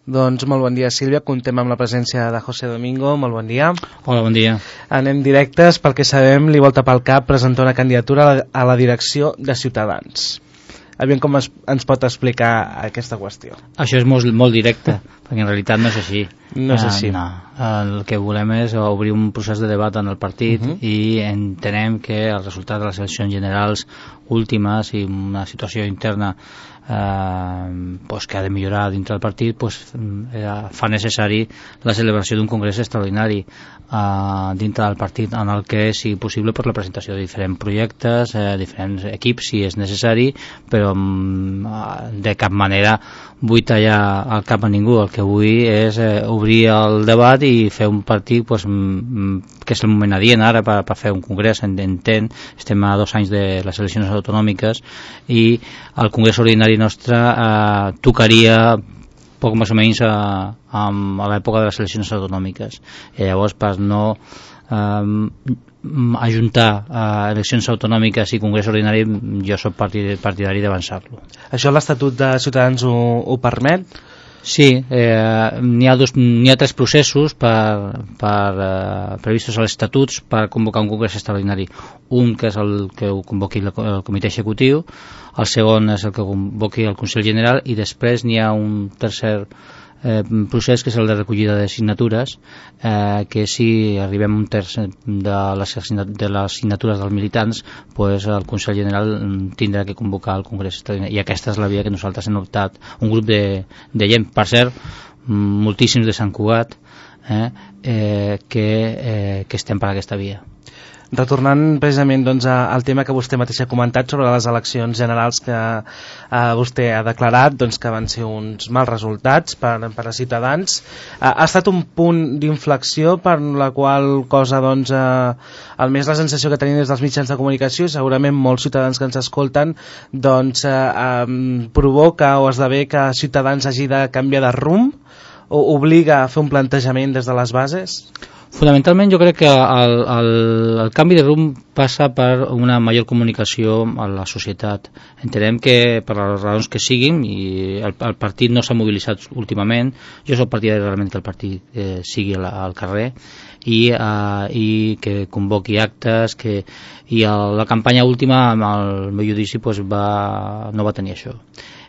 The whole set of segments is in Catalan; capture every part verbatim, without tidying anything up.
Doncs molt bon dia, Sílvia. Comptem amb la presència de José Domingo. Molt bon dia. Hola, bon dia. Anem directes. Pel que sabem, li volta pel cap presentar una candidatura a la, a la direcció de Ciutadans. Aviam com es, ens pot explicar aquesta qüestió. Això és molt, molt directe, perquè en realitat no és així. No és així. Uh, no. El que volem és obrir un procés de debat en el partit uh -huh. i entenem que el resultat de les eleccions generals últimes i una situació interna eh, pues que ha de millorar dintre del partit, pues, eh, fa necessari la celebració d'un congrés extraordinari eh, dintre del partit, en el que sigui possible per la presentació de diferents projectes, eh, diferents equips si és necessari, però mm, de cap manera vull tallar el cap a ningú. El que vull és eh, obrir el debat i fer un partit pues, mm, que és el moment adient ara per, per fer un congrés. Entenc, estem a dos anys de les eleccions autonòmiques i el congrés ordinari nostre eh, tocaria poc més o menys a, a, a l'època de les eleccions autonòmiques. I llavors, per no eh, ajuntar eh, eleccions autonòmiques i congrés ordinari, jo soc partidari d'avançar-lo. Això l'Estatut de Ciutadans ho, ho permet? Sí, eh, n'hi ha, dos, n'hi ha tres processos per, per, eh, previstos als estatuts per convocar un congrés extraordinari. Un que és el que ho convoqui el, el comitè executiu, el segon és el que convoqui el Consell General i després n'hi ha un tercer eh, procés que és el de recollida de signatures, eh, que si arribem a un terç de les, de les signatures dels militants, pues el Consell General tindrà que convocar el Congrés Extraordinari, i aquesta és la via que nosaltres hem optat, un grup de, de gent, per cert, moltíssims de Sant Cugat, eh, eh, que, eh, que estem per aquesta via. Retornant precisament doncs, al tema que vostè mateix ha comentat sobre les eleccions generals que eh, vostè ha declarat doncs, que van ser uns mals resultats per, per a Ciutadans, eh, ha estat un punt d'inflexió per la qual cosa doncs, eh, almenys la sensació que tenim des dels mitjans de comunicació, segurament molts ciutadans que ens escolten, doncs, eh, eh, provoca o esdevé que Ciutadans hagi de canviar de rumb o obliga a fer un plantejament des de les bases? Fonamentalment jo crec que el, el, el canvi de rumb passa per una major comunicació a la societat. Entenem que per les raons que siguin, i el, el partit no s'ha mobilitzat últimament, jo soc partidari realment que el partit eh, sigui al, al carrer i, eh, i que convoqui actes, que, i el, la campanya última, amb el meu judici, pues, va, no va tenir això.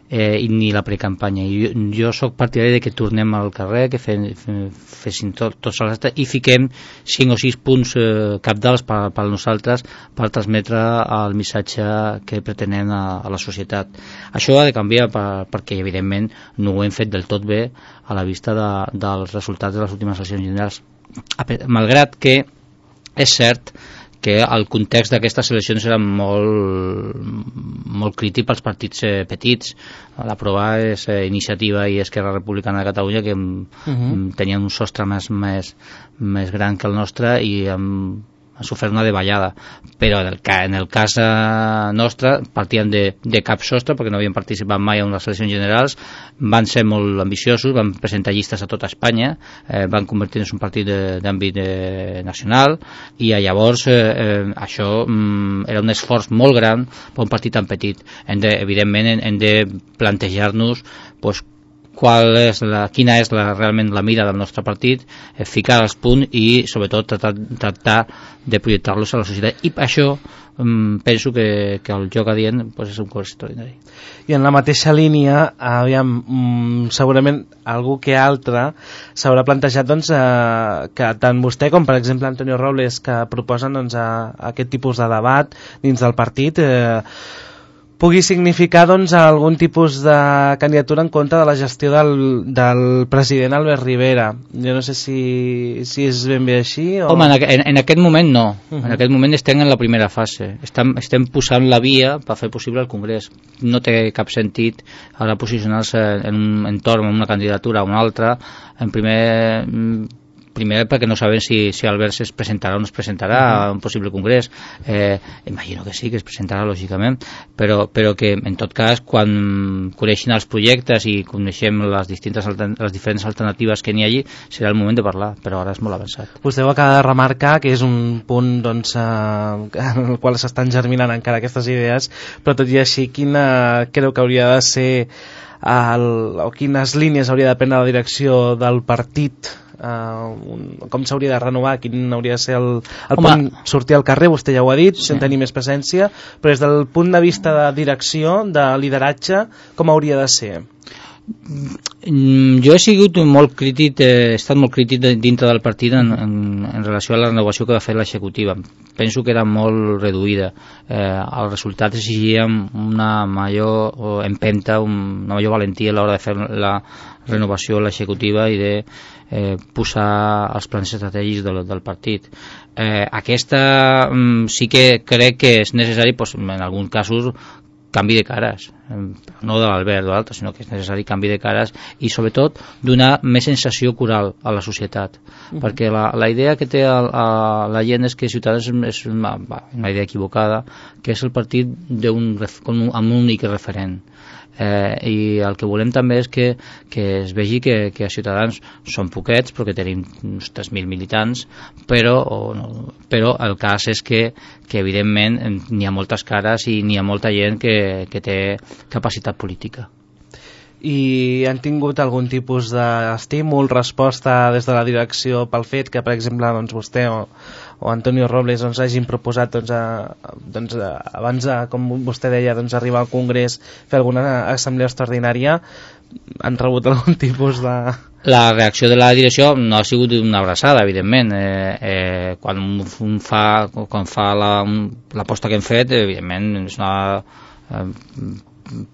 Eh, i ni la precampanya. Jo, jo sóc partidari de que tornem al carrer, que fe, fe, fessin tot, tots els actes i fiquem cinc o sis punts eh, capdals per, per nosaltres per transmetre el missatge que pretenem a, a la societat. Això ha de canviar per, perquè evidentment no ho hem fet del tot bé a la vista de, dels resultats de les últimes eleccions generals, malgrat que és cert que el context d'aquestes eleccions era molt, molt crític pels partits eh, petits. La prova és eh, Iniciativa i Esquerra Republicana de Catalunya, que uh-huh. tenien un sostre més, més, més gran que el nostre i amb ha sofert una davallada, però en el, en el cas nostre partíem de, de cap sostre perquè no havien participat mai en les eleccions generals, van ser molt ambiciosos, van presentar llistes a tota Espanya, eh, van convertir-se en un partit d'àmbit nacional i llavors eh, eh, això mm, era un esforç molt gran per un partit tan petit. Hem de, evidentment hem, hem de plantejar-nos pues, qual és la, quina és la, realment la mira del nostre partit, eh, ficar els punts i sobretot tractar, tractar de projectar-los a la societat, i per això um, penso que, que el joc adient pues, és un curs extraordinari. I en la mateixa línia, aviam, mm, segurament algú que altre s'haurà plantejat doncs, eh, que tant vostè com per exemple Antonio Robles, que proposen doncs, a, a aquest tipus de debat dins del partit, eh, pugui significar doncs, algun tipus de candidatura en contra de la gestió del, del president Albert Rivera. Jo no sé si, si és ben bé així o... Home, en, en aquest moment no. Uh-huh. En aquest moment estem en la primera fase. Estem, estem posant la via per fer possible el Congrés. No té cap sentit ara posicionar-se en un entorn, en una candidatura o una altra. En primer... Primer perquè no sabem si, si Albert es presentarà o no es presentarà uh-huh. a un possible congrés. Eh, imagino que sí, que es presentarà lògicament, però, però que en tot cas quan coneixin els projectes i coneixem les, distintes, les diferents alternatives que n'hi hagi, serà el moment de parlar, però ara és molt avançat. Vostè ho acaba de remarcar, que és un punt doncs, eh, en el qual s'estan germinant encara aquestes idees, però tot i així quina creu que hauria de ser el, o quines línies hauria de prendre la direcció del partit, uh, un, com s'hauria de renovar, quin hauria de ser el, el punt, sortir al carrer, vostè ja ho ha dit, sí, sense tenir més presència, però des del punt de vista de direcció, de lideratge, com hauria de ser? Jo he sigut molt crític, he estat molt crític dintre del partit en, en, en relació a la renovació que va fer l'executiva. Penso que era molt reduïda. Eh, el resultat exigia una major empenta, una major valentia a l'hora de fer la renovació a l'executiva i de eh, posar els plans estratègics del, del partit. Eh, aquesta mm, sí que crec que és necessari, pues, en alguns casos, canvi de cares, no de l'Albert o d'altres, sinó que és necessari canvi de cares i sobretot donar més sensació coral a la societat, uh-huh. perquè la, la idea que té el, a, la gent és que Ciutadans és una, una idea equivocada, que és el partit d'un, amb un únic referent. Eh, i el que volem també és que, que es vegi que, que a Ciutadans són poquets perquè tenim uns tres mil militants, però, o no, però el cas és que, que evidentment n'hi ha moltes cares i n'hi ha molta gent que, que té capacitat política. I han tingut algun tipus d'estímul, resposta des de la direcció pel fet que, per exemple, doncs, vostè o, o Antonio Robles doncs, hagin proposat doncs, a, doncs, a, abans de, com vostè deia, doncs, arribar al Congrés, fer alguna assemblea extraordinària? Han rebut algun tipus de... La reacció de la direcció no ha sigut una abraçada, evidentment. Eh, eh, quan un fa, quan fa la, l'aposta que hem fet, evidentment és una... Eh,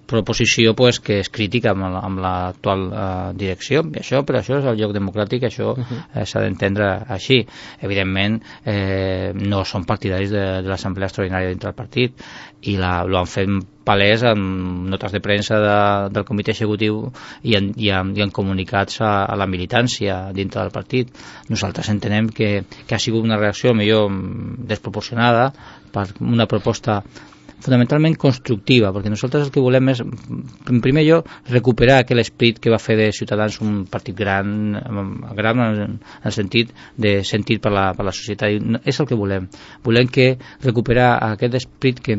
proposició pues, que és crítica amb, amb l'actual uh, direcció, i això, però això és el lloc democràtic, això uh-huh. eh, s'ha d'entendre així. Evidentment eh, no són partidaris de, de l'assemblea extraordinària dintre del partit i la, lo han fet palès en notes de premsa de, del comitè executiu i en, i en, i en comunicats a, a la militància dintre del partit. Nosaltres entenem que, que ha sigut una reacció millor desproporcionada per una proposta fonamentalment constructiva, perquè nosaltres el que volem és, en primer lloc, recuperar aquell esperit que va fer de Ciutadans un partit gran, gran en el sentit de sentit per la, per la societat. I és el que volem. Volem que recuperar aquest esperit que,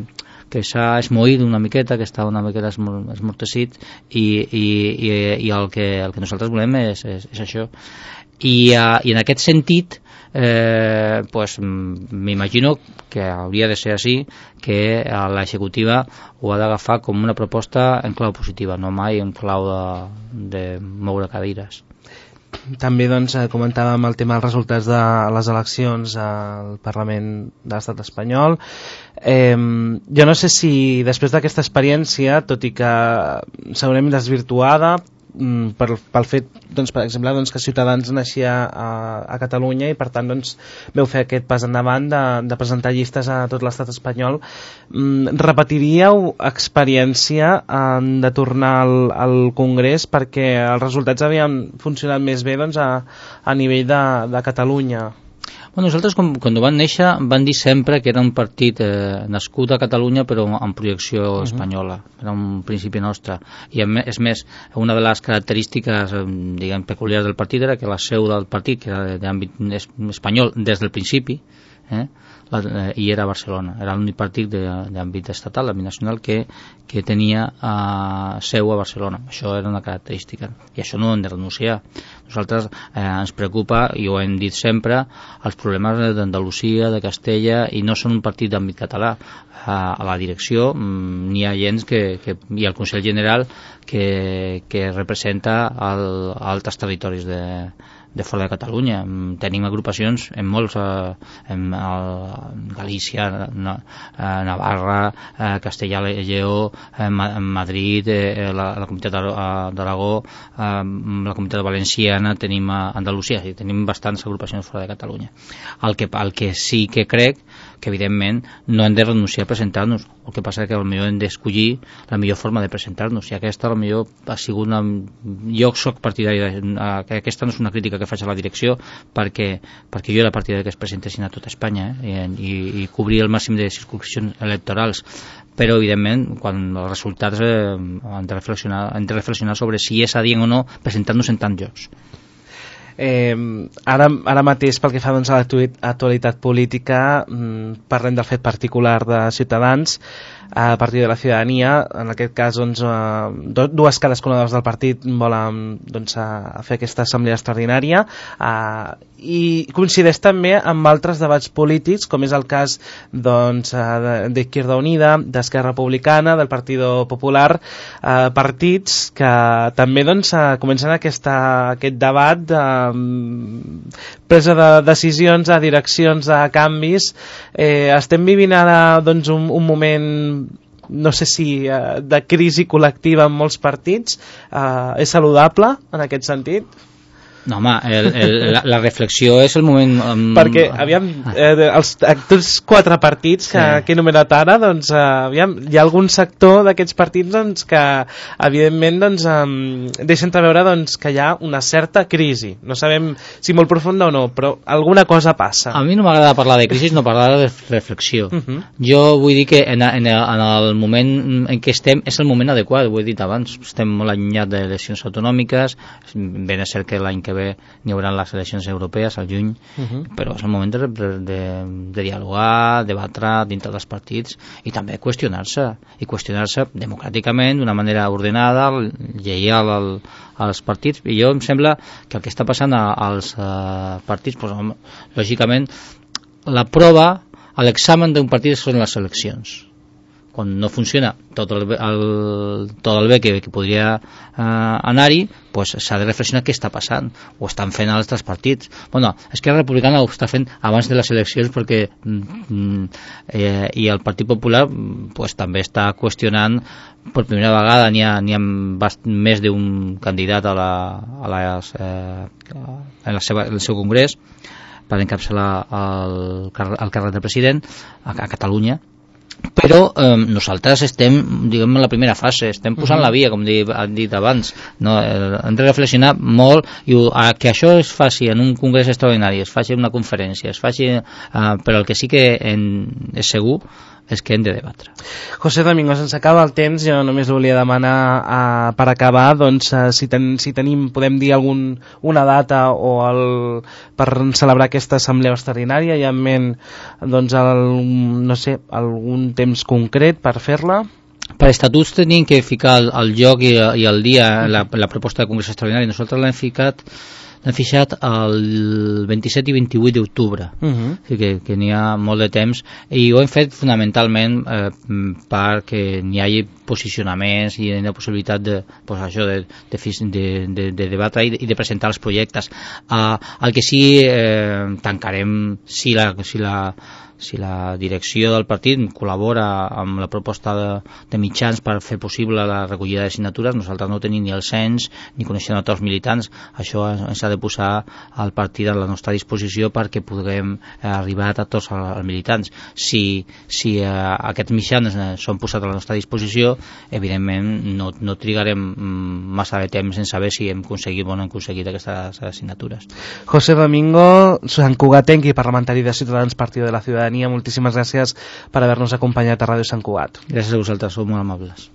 que s'ha esmoït una miqueta, que està una miqueta esmortecit, i, i, i, i el, que, el que nosaltres volem és, és, és això. I, uh, i en aquest sentit eh, pues, m'imagino que hauria de ser així, que l'executiva ho ha d'agafar com una proposta en clau positiva, no mai en clau de, de moure cadires. També doncs, comentàvem el tema dels resultats de les eleccions al Parlament de l'Estat espanyol. Eh, jo no sé si després d'aquesta experiència, tot i que segurament desvirtuada, per, pel fet, doncs, per exemple, doncs, que Ciutadans naixia a, a Catalunya i per tant doncs, veu fer aquest pas endavant de, de presentar llistes a tot l'estat espanyol, mm, repetiríeu experiència eh, de tornar al, al Congrés perquè els resultats havien funcionat més bé doncs, a, a nivell de, de Catalunya? Bueno, nosaltres quan, quan van néixer van dir sempre que era un partit eh, nascut a Catalunya però amb projecció uh-huh. espanyola, era un principi nostre, i és més, una de les característiques diguem, peculiars del partit era que la seu del partit, que era d'àmbit espanyol des del principi, eh, la, eh, i era a Barcelona, era l'únic partit d'àmbit estatal, d'àmbit nacional que, que tenia eh, seu a Barcelona. Això era una característica i això no ho hem de renunciar. Nosaltres eh, ens preocupa, i ho hem dit sempre, els problemes d'Andalusia, de Castella, i no són un partit d'àmbit català. Eh, a la direcció mm, n'hi ha gent que, que, i al Consell General que, que representa el, altres territoris de de fora de Catalunya. Tenim agrupacions en molts, eh, en el, Galícia, na, eh, Navarra, eh, Castellà i Lleó, eh, Madrid, eh, la, la Comunitat d'Aragó, eh, la Comunitat Valenciana, tenim a Andalusia, sí, tenim bastants agrupacions fora de Catalunya. El que, el que sí que crec que evidentment no hem de renunciar a presentar-nos, el que passa és que potser hem d'escollir la millor forma de presentar-nos, i aquesta potser ha sigut una... jo soc partidari de... aquesta no és una crítica que faig a la direcció, perquè, perquè jo era partidari que es presentessin a tot Espanya, eh, i, i cobrir el màxim de circunscripcions electorals, però evidentment quan els resultats eh, hem, de reflexionar, hem de reflexionar sobre si és adient o no presentar-nos en tants llocs. Eh, ara, ara mateix pel que fa doncs, a l'actualitat política, mm, parlem del fet particular de Ciutadans. a Partit de la Ciutadania, en aquest cas doncs, eh, dues cadascuna del partit volen doncs, a fer aquesta assemblea extraordinària, eh, i coincideix també amb altres debats polítics, com és el cas doncs, d'Izquierda Unida, d'Esquerra Republicana, del Partit Popular, eh, partits que també doncs, comencen aquesta, aquest debat de presa de decisions, a direccions, a canvis. Eh, estem vivint ara doncs, un, un moment, no sé si eh, de crisi col·lectiva en molts partits. Eh, és saludable en aquest sentit? No, home, el, el, la, la reflexió és el moment... Um... Perquè, aviam, eh, els, aquests quatre partits que, sí. que he enumerat ara, doncs, eh, aviam, hi ha algun sector d'aquests partits doncs, que, evidentment, doncs, eh, deixen entreveure doncs, que hi ha una certa crisi. No sabem si molt profunda o no, però alguna cosa passa. A mi no m'agrada parlar de crisi, no parlar de reflexió. Uh -huh. Jo vull dir que en, en, en el moment en què estem és el moment adequat, ho he dit abans. Estem molt allunyats d'eleccions autonòmiques, ben és cert que l'any que ve n'hi haurà les eleccions europees al juny, uh -huh. però és el moment de, de, de dialogar, debatre dintre dels partits i també qüestionar-se, i qüestionar-se democràticament, d'una manera ordenada, lleial al, als partits. I jo em sembla que el que està passant als uh, partits, doncs, lògicament, la prova, l'examen d'un partit són les eleccions. Quan no funciona tot el, el, tot el bé que, que podria eh, anar-hi, pues s'ha de reflexionar què està passant, o estan fent altres partits. Bueno, Esquerra Republicana ho està fent abans de les eleccions perquè mm, eh, i el Partit Popular pues, també està qüestionant per primera vegada, n'hi ha, n'hi ha més d'un candidat a la, a les, eh, en la seva, el seu congrés per encapçalar el, el càrrec de president a, a Catalunya. Però eh, nosaltres estem, diguem, en la primera fase, estem posant uh-huh. la via, com he dit abans, no? Eh, hem de reflexionar molt i a, que això es faci en un congrés extraordinari, es faci en una conferència, es faci, eh, però el que sí que en, és segur és que hem de debatre. José Domingo, se'ns acaba el temps, jo només volia demanar eh, per acabar, doncs, eh, si, ten, si tenim, podem dir algun, una data o el, per celebrar aquesta assemblea extraordinària, hi ha en ment, doncs, el, no sé, algun temps concret per fer-la? Per estatuts tenim que ficar el, el lloc i, i el dia, la, la proposta de congrés extraordinari. Nosaltres l'hem ficat l'hem fixat el vint-i-set i vint-i-vuit d'octubre, uh-huh. o sigui que, que n'hi ha molt de temps, i ho hem fet fonamentalment eh, perquè n'hi hagi posicionaments i la possibilitat de, pues, això, de, de, de, de, de debatre i de, i de presentar els projectes. Uh, el que sí eh, tancarem si la, si la si la direcció del partit col·labora amb la proposta de, de mitjans per fer possible la recollida de signatures. Nosaltres no tenim ni el cens ni coneixem a tots els militants. Això ens ha de posar al partit a la nostra disposició perquè puguem arribar a tots els militants. Si, si eh, aquests mitjans són posats a la nostra disposició, evidentment no, no trigarem massa de temps en saber si hem aconseguit o no hem aconseguit aquestes signatures. José Domingo, Sant Cugatenc i parlamentari de Ciutadans Partido de la Ciudadanía, moltíssimes gràcies per haver-nos acompanyat a Ràdio Sant Cugat. Gràcies a vosaltres, sou molt amables.